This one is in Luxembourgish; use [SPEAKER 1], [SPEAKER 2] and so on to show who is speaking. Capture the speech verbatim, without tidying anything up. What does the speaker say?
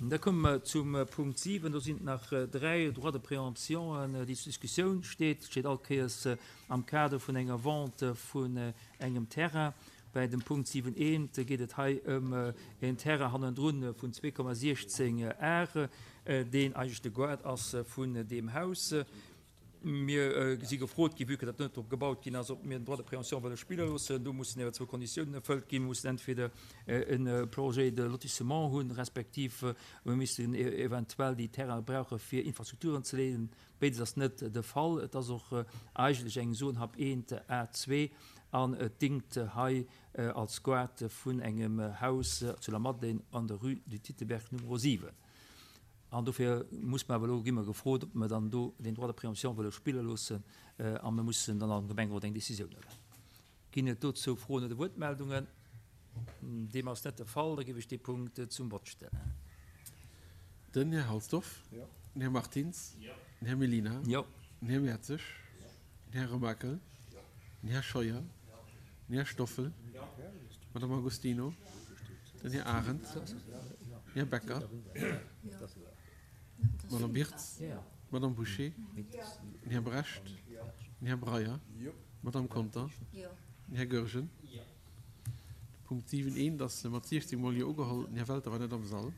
[SPEAKER 1] Da komme mer zum Punkt siwen. Do sinn et nach dräi Droits de préemption, déi zur Diskussioun steet. Steet all Kéiers am Kader vun enger Vente vun engem Terrain. Bei dem Punkt siwen eent geet et hei ëm en Terrain hannendrun vun zwee Komma siechzéng Ar, deen eigentlech de Gaart ass vun deem Haus. Mir si gefrot ginn, vue que dat net drop gebaut ginn ass, ob mir den Droit de préemption wëlle spille loossen. Do mussen awer zwou Konditiounen erfëllt ginn. Mir mussen entweder e Projet de lotissement hunn, respektiv mir missten eventuell déi Terraine brauche fir Infrastrukturen ze leeën. Béides ass net de Fall. Et ass och eigentlech eng Zone Hap eent A zwee an et dingt hei als Gaart vun engem Haus zu Lamadelaine an der Rue du Titelberg Numero siwen. An dofir muss mer awer elo, gi mer gefrot, ob mer dann do den Droit de préemption wëlle spille loossen, a mer mussen dann am Gemengerot eng Décisioun huelen. Ginn et dozou Froen oder Wuertmeldungen? Deem ass net de Fall. Da géif ech dee Punkt zum Vott stellen.
[SPEAKER 2] Den Här Halsdorf.
[SPEAKER 3] Jo.
[SPEAKER 2] Den Här Martins.
[SPEAKER 3] Jo.
[SPEAKER 2] Den Här Mellina.
[SPEAKER 1] Jo.
[SPEAKER 2] Den Här Mertzig. Den Här Remakel. Den Här Scheuer. Den Här Stoffel. D'Madame Agostino. Den Här Arendt. Den Här Becker. D'Madame Birtz. D'Madame Bouché. Den Här Brecht. Den Här Breyer. D'Madame Conter. Den Här Goergen. De Punkt siwen eent ass mat siechzéng Mol Jo ugeholl. Den Här Welter war net am Sall.